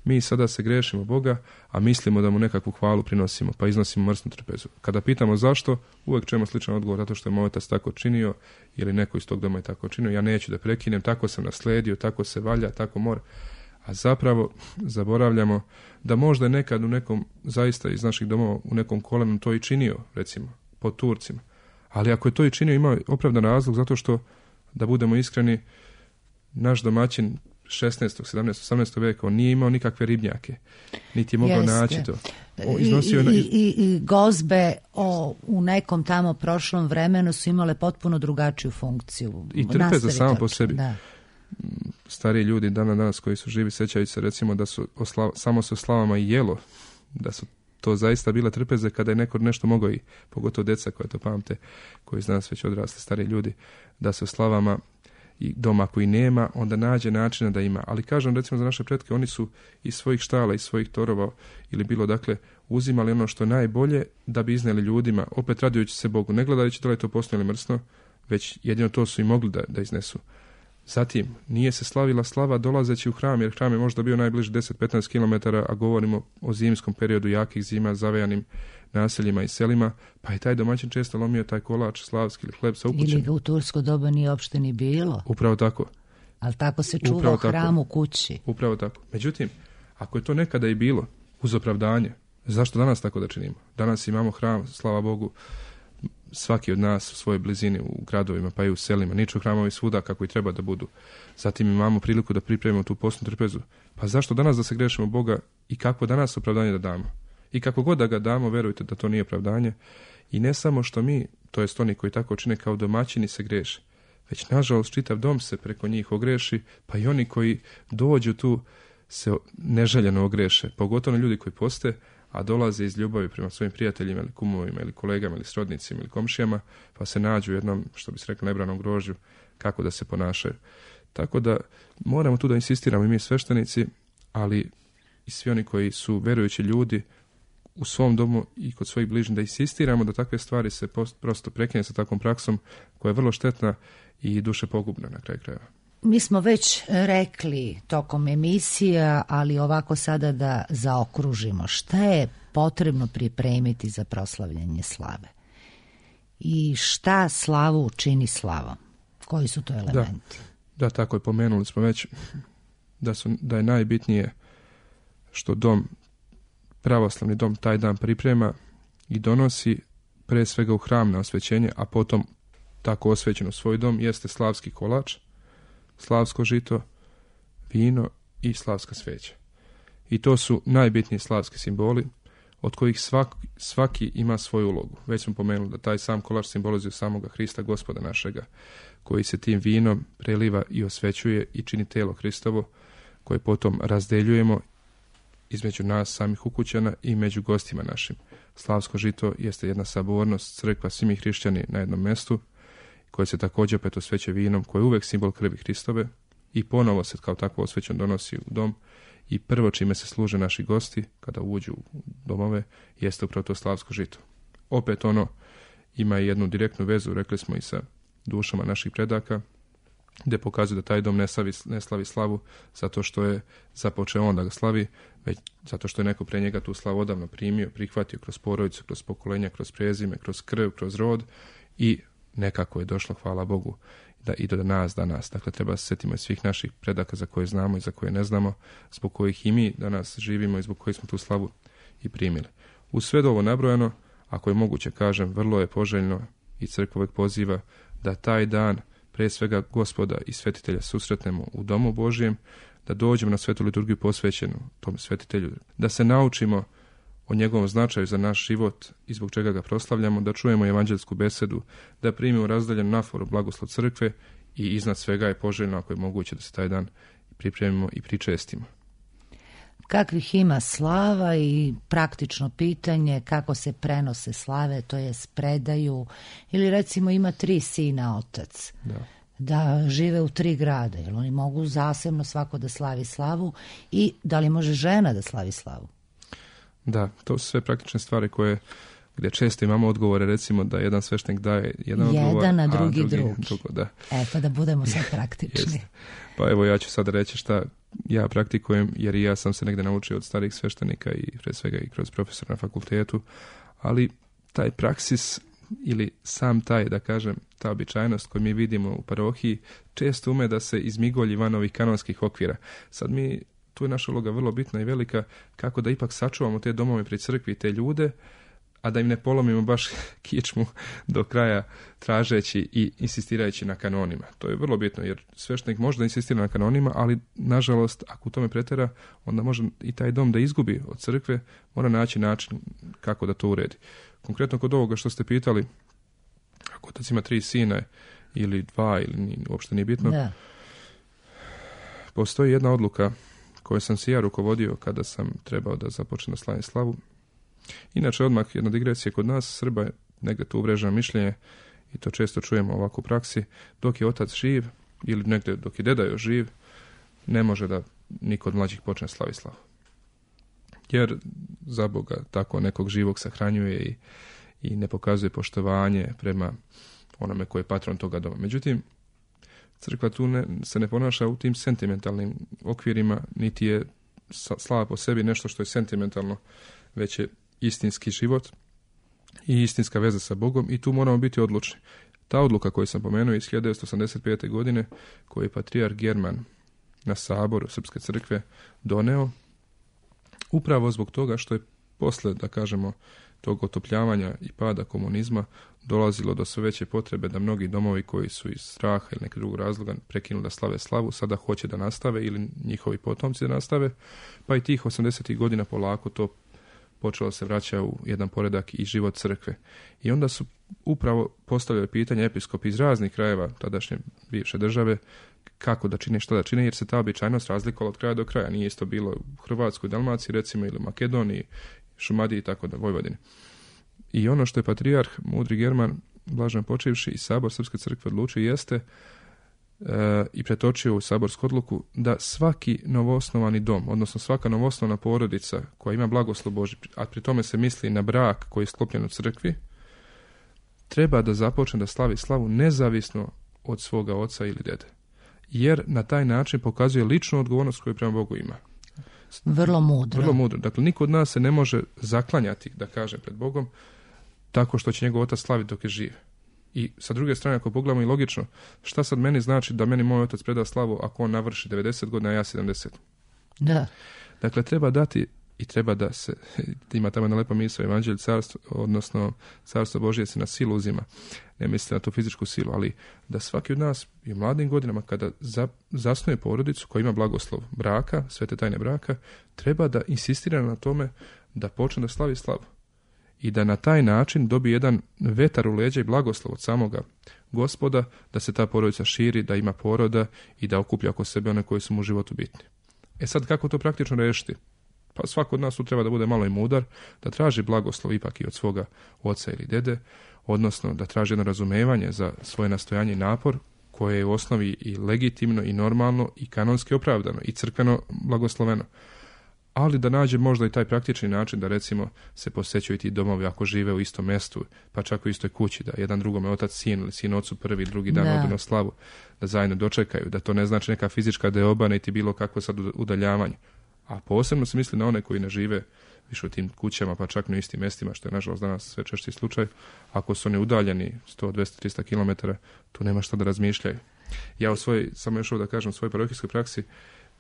Mi sada se grešimo Boga, a mislimo da mu nekakvu hvalu prinosimo, pa iznosimo mrsnu trpezu. Kada pitamo zašto, uvijek čujemo sličan odgovor, zato što je moj otac tako činio, ili neko iz tog doma je tako činio, ja neću da prekinem, tako sam nasledio, tako se valja, tako mora. A zapravo zaboravljamo da možda je nekad u nekom, zaista iz naših domova, u nekom kolenu to i činio, recimo, pod Turcima. Ali ako je to i činio, ima opravdan razlog, zato što, da budemo iskreni, naš domaćin šesnaestog, sedamnaestog, osamnaestog veka, on nije imao nikakve ribnjake, niti je mogao Jeste. naći to. O, I, iznosio i, je... i, i gozbe o, u nekom tamo prošlom vremenu su imale potpuno drugačiju funkciju. I trpe za samo po Nastavite. sebi. Da. Stariji ljudi dana danas koji su živi sećaju se recimo da su osla, samo se o slavama i jelo, da su to zaista bile trpeze kada je neko nešto mogao, i pogotovo djeca koja to pamte, koji iz nas već odrasli stariji ljudi, da se o slavama i doma koji nema, onda nađe načina da ima. Ali kažem, recimo za naše pretke, oni su iz svojih štala, iz svojih torova ili bilo dakle uzimali ono što je najbolje da bi iznijeli ljudima, opet radujući se Bogu, ne gledajući da li je to postno ili mrsno, već jedino to su i mogli da, da iznesu. Zatim, nije se slavila slava dolazeći u hram, jer hram je možda bio najbliže deset do petnaest kilometara, a govorimo o zimskom periodu jakih zima, zavejanim naseljima i selima, pa je taj domaćin često lomio taj kolač slavski ili hleb sa ukućem. Ili ga u tursko doba nije uopšte ni bilo, Upravo tako. ali tako se čuva Upravo u hramu kući. Upravo tako. Međutim, ako je to nekada i bilo uz opravdanje, zašto danas tako da činimo? Danas imamo hram, slava Bogu, svaki od nas u svojoj blizini, u gradovima pa i u selima, niču hramovi svuda kako i treba da budu. Zatim imamo priliku da pripremimo tu postnu trpezu. Pa zašto danas da se grešimo Boga i kako danas opravdanje da damo? I kako god da ga damo, verujte da to nije opravdanje. I ne samo što mi, to jest oni koji tako čine kao domaćini, se greše, već nažalost čitav dom se preko njih ogreši, pa i oni koji dođu tu se neželjeno ogreše, pogotovo ljudi koji poste, a dolaze iz ljubavi prema svojim prijateljima ili kumovima ili kolegama ili srodnicima ili komšijama, pa se nađu u jednom, što bi se rekli, nebranom grožđu kako da se ponašaju. Tako da moramo tu da insistiramo i mi sveštenici, ali i svi oni koji su verujući ljudi u svom domu i kod svojih bližnjih, da insistiramo da takve stvari se post, prosto prekine sa takvom praksom koja je vrlo štetna i duše pogubna na kraju krajeva. Mi smo već rekli tokom emisija, ali ovako sada da zaokružimo. Šta je potrebno pripremiti za proslavljanje slave? I šta slavu čini slavom? Koji su to elementi? Da, da, tako je, pomenuli smo već da, su, da je najbitnije što dom, pravoslavni dom, taj dan priprema i donosi pre svega u hram na osvećenje, a potom tako osvećen u svoj dom, jeste slavski kolač, slavsko žito, vino i slavska sveća. I to su najbitniji slavski simboli od kojih svak, svaki ima svoju ulogu. Već smo pomenuli da taj sam kolač simbolizuje samoga Hrista, Gospoda našega, koji se tim vinom preliva i osvećuje i čini telo Hristovo, koje potom razdeljujemo između nas samih ukućana i među gostima našim. Slavsko žito jeste jedna sabornost, crkva, svi mi hrišćani na jednom mjestu, koje se također opet osveće vinom, koje je uvek simbol krvi Hristove i ponovo se kao takvo osvećen donosi u dom i prvo čime se služe naši gosti kada uđu u domove jeste upravo to slavsko žito. Opet ono ima jednu direktnu vezu, rekli smo, i sa dušama naših predaka, gdje pokazuje da taj dom ne slavi, ne slavi slavu zato što je započeo on da ga slavi, već zato što je neko pre njega tu slavu odavno primio, prihvatio kroz porodicu, kroz pokolenja, kroz prezime, kroz krv, kroz rod i nekako je došlo, hvala Bogu, da i do nas danas. Dakle, treba se sjetimo i svih naših predaka za koje znamo i za koje ne znamo, zbog kojih i mi danas živimo i zbog kojih smo tu slavu i primili. Uz sve ovo nabrojano, ako je moguće, kažem, vrlo je poželjno i crkva uvek poziva da taj dan pre svega Gospoda i svetitelja susretnemo u domu Božijem, da dođemo na svetu liturgiju posvećenu tom svetitelju, da se naučimo o njegovom značaju za naš život i zbog čega ga proslavljamo, da čujemo evanđelsku besedu, da primimo razdaljenu naforu blagoslov crkve i iznad svega je poželjno, ako je moguće, da se taj dan pripremimo i pričestimo. Kakvih ima slava i praktično pitanje kako se prenose slave, to je predaju, ili recimo ima tri sina otac. Da. da žive u tri grada, jer oni mogu zasebno svako da slavi slavu i da li može žena da slavi slavu? Da, to su sve praktične stvari koje, gdje često imamo odgovore, recimo da jedan sveštenik daje jedan, jedan odgovor, a drugi a drugi, drugi. drugo, da. E, pa da budemo sad praktični. Pa evo, ja ću sad reći šta ja praktikujem, jer i ja sam se negdje naučio od starih sveštenika i pre svega i kroz profesora na fakultetu, ali taj praksis ili sam taj, da kažem, ta običajnost koju mi vidimo u parohiji često ume da se izmigolji van ovih kanonskih okvira. Sad mi, tu je naša uloga vrlo bitna i velika, kako da ipak sačuvamo te domove pri crkvi i te ljude, a da im ne polomimo baš kičmu do kraja tražeći i insistirajući na kanonima. To je vrlo bitno, jer sveštenik može da insistira na kanonima, ali nažalost, ako u tome pretera, onda može i taj dom da izgubi od crkve, mora naći način kako da to uredi. Konkretno kod ovoga što ste pitali, ako otac ima tri sina ili dva, ili uopšte nije bitno, da. Postoji jedna odluka koju sam se ja rukovodio kada sam trebao da započne da slavim slavu. Inače, odmah jedna digresija kod nas, Srba, negdje tu uvreženo mišljenje, i to često čujemo ovako u praksi, dok je otac živ, ili negdje dok je deda još živ, ne može da niko od mlađih počne slavi slavu. Jer za Boga tako nekog živog sahranjuje i, i ne pokazuje poštovanje prema onome koji je patron toga doma. Međutim, crkva tu ne, se ne ponaša u tim sentimentalnim okvirima, niti je slava po sebi nešto što je sentimentalno, već je istinski život i istinska veza sa Bogom, i tu moramo biti odlučni. Ta odluka koju sam pomenuo iz hiljadu devetsto osamdeset pete. godine, koju je patrijarh German na saboru Srpske crkve doneo, upravo zbog toga što je posle, da kažemo, tog otopljavanja i pada komunizma dolazilo do sve veće potrebe da mnogi domovi koji su iz straha ili nekog drugog razloga prekinuli da slave slavu, sada hoće da nastave ili njihovi potomci da nastave, pa i tih osamdesetih godina polako to počelo se vraća u jedan poredak i život crkve. I onda su upravo postavljali pitanje episkopi iz raznih krajeva tadašnje bivše države kako da čine, šta da čine, jer se ta običajnost razlikovala od kraja do kraja. Nije isto bilo u Hrvatskoj, Dalmaciji, recimo, ili Makedoniji, Šumadiji i tako da, Vojvodini. I ono što je patrijarh mudri German, blaženo počivši, i sabor Srpske crkve odlučio jeste e, i pretočio u saborsku odluku da svaki novoosnovani dom, odnosno svaka novoosnovana porodica koja ima blagoslov Božji, a pri tome se misli na brak koji je sklopljen u crkvi, treba da započne da slavi slavu nezavisno od svoga oca ili dede. Jer na taj način pokazuje ličnu odgovornost koju prema Bogu ima. Vrlo mudro. Vrlo mudro. Dakle, niko od nas se ne može zaklanjati, da kažem, pred Bogom tako što će njegov otac slaviti dok je živ. I sa druge strane, ako pogledamo i logično, šta sad meni znači da meni moj otac preda slavu ako on navrši devedeset godina, a ja sedamdeset? Da. Dakle, treba dati i treba da se, ima tamo jedna lepa misao, evanđelje carstvo, odnosno carstvo Božje se na silu uzima. Ne mislite na tu fizičku silu, ali da svaki od nas i u mladim godinama kada za, zasnuje porodicu koja ima blagoslov braka, svete tajne braka, treba da insistira na tome da počne da slavi slavu. I da na taj način dobije jedan vetar u leđa i blagoslov od samoga Gospoda, da se ta porodica širi, da ima poroda i da okuplja oko sebe one koji su mu u životu bitni. E sad, kako to praktično rešiti? Pa svako od nas tu treba da bude malo i mudar, da traži blagoslov ipak i od svoga oca ili dede, odnosno da traži jedno razumevanje za svoje nastojanje i napor, koje je u osnovi i legitimno i normalno i kanonski opravdano i crkveno blagosloveno. Ali da nađe možda i taj praktični način da recimo se posjećuju ti domovi ako žive u istom mjestu, pa čak u istoj kući, da jedan drugome otac sin ili sin ocu prvi, drugi dan Da. odu na slavu, da zajedno dočekaju, da to ne znači neka fizička deoba niti bilo kakvo sad udaljavanje. A posebno se misli na one koji ne žive više u tim kućama, pa čak na istim mjestima, što je nažalost danas sve češći slučaj. Ako su oni udaljeni sto, dvjesto, tristo kilometara, tu nema šta da razmišljaju. Ja u svojoj, samo još ovo da kažem, u svojoj parohijskoj praksi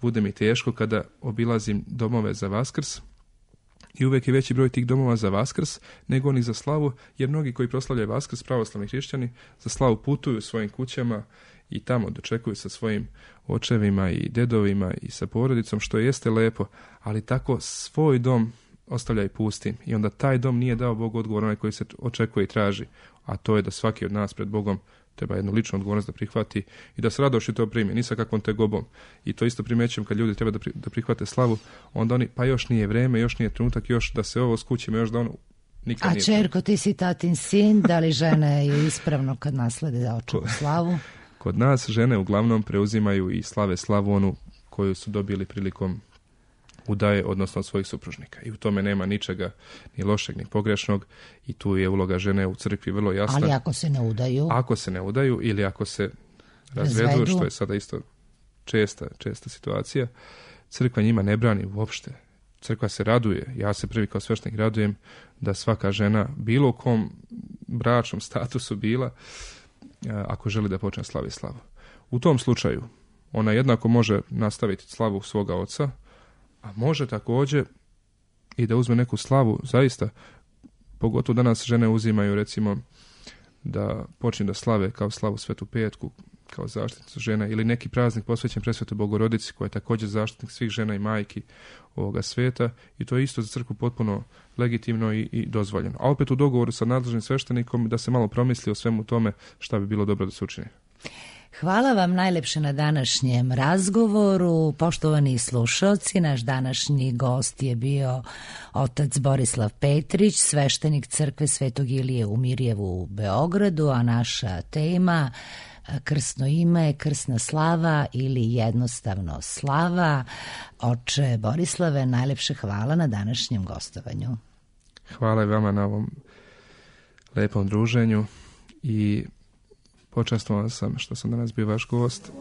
bude mi teško kada obilazim domove za Vaskrs i uvijek je veći broj tih domova za Vaskrs nego onih za slavu, jer mnogi koji proslavljaju Vaskrs, pravoslavni hrišćani, za slavu putuju svojim kućama i tamo dočekuju sa svojim očevima i dedovima i sa porodicom, što jeste lepo, ali tako svoj dom ostavljaju pustim i onda taj dom nije dao Bogu odgovor onaj koji se očekuje i traži, a to je da svaki od nas pred Bogom treba jednu ličnu odgovornost da prihvati i da s radošću to primi, ni sa kakvom tegobom. I to isto primećujem kad ljudi treba da, pri, da prihvate slavu, onda oni, pa još nije vreme, još nije trenutak, još da se ovo skućimo, još da ono nikad A nije. čerko, ti si tatin sin, da li žene je ispravno kad naslede da očuvu slavu? Kod nas žene uglavnom preuzimaju i slave slavu onu koju su dobili prilikom udaje, odnosno od svojih supružnika. I u tome nema ničega ni lošeg, ni pogrešnog i tu je uloga žene u crkvi vrlo jasna. Ali ako se ne udaju? Ako se ne udaju ili ako se razvedu, razvedu. Što je sada isto česta, česta situacija, crkva njima ne brani uopšte. Crkva se raduje, ja se prvi kao sveštenik radujem da svaka žena, bilo u kom bračnom statusu bila, ako želi da počne slavi slavu. U tom slučaju ona jednako može nastaviti slavu svoga oca, a može također i da uzme neku slavu, zaista, pogotovo danas žene uzimaju recimo da počne da slave kao slavu Svetu Petku, kao zaštitnicu žena, ili neki praznik posvećen Presvetoj Bogorodici, koja je također zaštitnik svih žena i majki ovoga sveta, i to je isto za crkvu potpuno legitimno i, i dozvoljeno. A opet u dogovoru sa nadležnim sveštenikom da se malo promisli o svemu tome šta bi bilo dobro da se učini. Hvala vam najlepše na današnjem razgovoru. Poštovani slušalci, naš današnji gost je bio otac Borislav Petrić, sveštenik crkve Svetog Ilije u Mirjevu u Beogradu, a naša tema krstno ime, krsna slava ili jednostavno slava. Oče Borislave, najlepše hvala na današnjem gostovanju. Hvala i vama na ovom lepom druženju i počastvovan sam što sam danas bio vaš gost.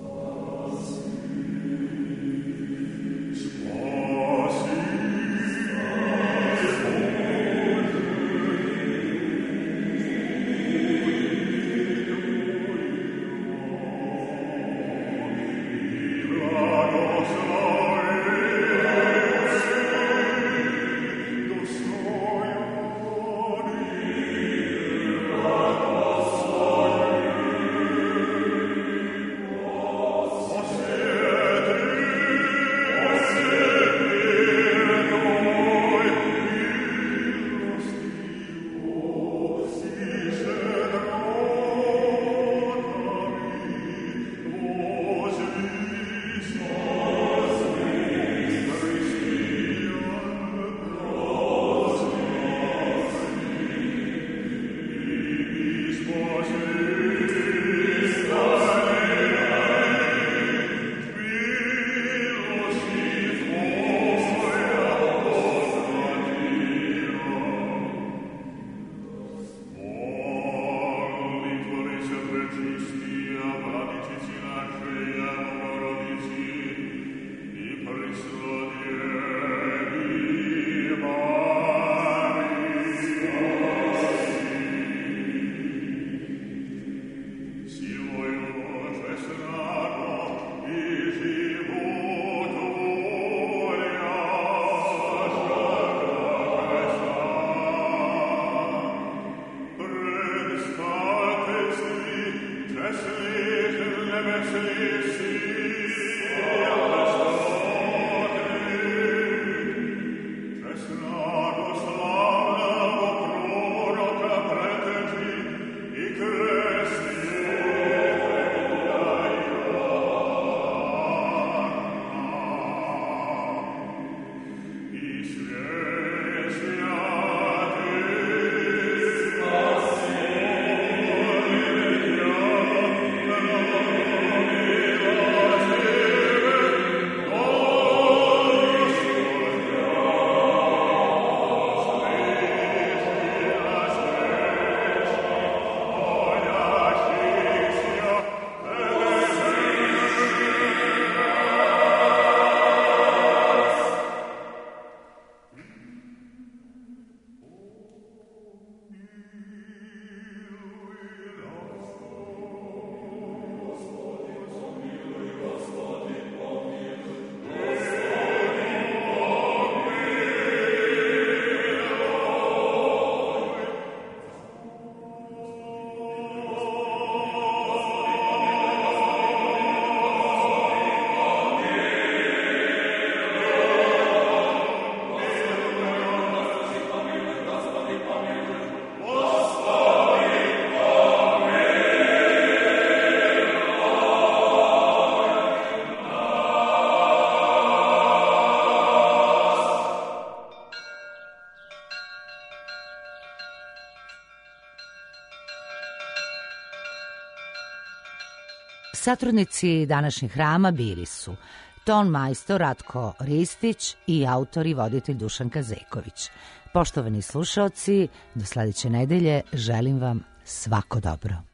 Satrudnici današnjeg hrama bili su ton majstor Ratko Ristić i autor i voditelj Dušan Kazeković. Poštovani slušaoci, do sledeće nedelje želim vam svako dobro.